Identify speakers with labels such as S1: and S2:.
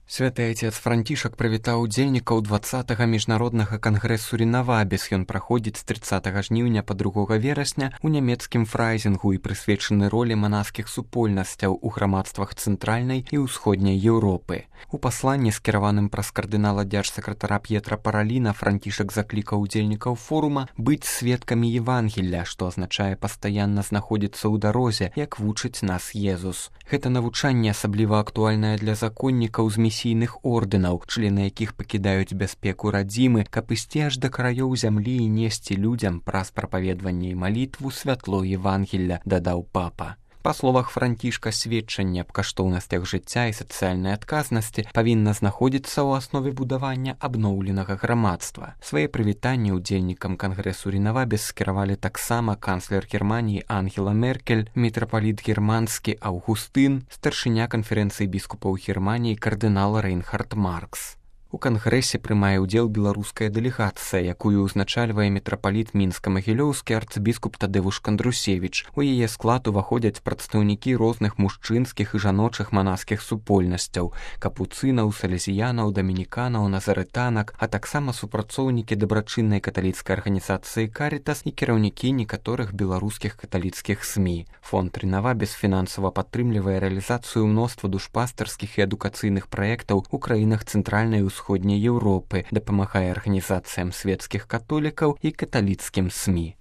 S1: Святы Отец Францішак прывітаў удзельнікаў 20-га міжнароднага кангрэсу Ренавабіс. Ён праходзіць з 30 жніўня па 2 верасня ў нямецкім фрайзінгу і прысвечаны ролі манаскіх супольнасцяў у грамадствах цэнтральнай і ўсходняй Еўропы. У пасланні, скіраваным праз кардынала дзяржсакратара П'етра Параліна, Францішак заклікаў удзельнікаў форума быць сведкамі Евангелля, што азначае пастаянна знаходзіцца ў дарозе, як вучыць нас Езус. Гэта навучанне асабліва актуальнае для законнікаў з місійных ордэнаў, члены якіх пакідаюць бяспеку радзімы, каб ісці аж да краёў зямлі і несці людзям праз прапаведванне і малітву святло Евангелля, дадаў папа. Па словах Францішка, сведчанне аб каштоўнасцях жыцця і сацыяльнай адказнасці павінна знаходзіцца ў аснове будавання абноўленага грамадства. Свае прывітанні удзельнікам кангрэсу Ренавабіс скіравалі таксама канцлер Германіі Ангела Меркель, мітрапаліт германскі Аўгустын, старшыня канферэнцыі біскупаў Германіі кардынал Рейнхард Маркс. У кангрэсе прымае ўдзел беларуская дэлегацыя, якую ўзначальвае мітрапаліт мінска-магілёўскі арцыбіскуп Тадзеуш Кандрусевіч. У яе склад уваходзяць прадстаўнікі розных мужчынскіх і жаночых манаскіх супольнасцяў, капуцынаў, салезіянаў, дамініканаў, назарытанак, а таксама супрацоўнікі дабрачыннай каталіцкай арганізацыі «Карітас» і кіраўнікі некаторых беларускіх каталіцкіх СМІ. Фонд Ренавабіс фінансава падтрымлівае рэалізацыю мноства душпастарскіх і адукацыйных праектаў у краінах цэнтральнай і ўсходняй Еўропы, дапамагае арганізацыям светскіх католікаў і каталіцкім СМІ.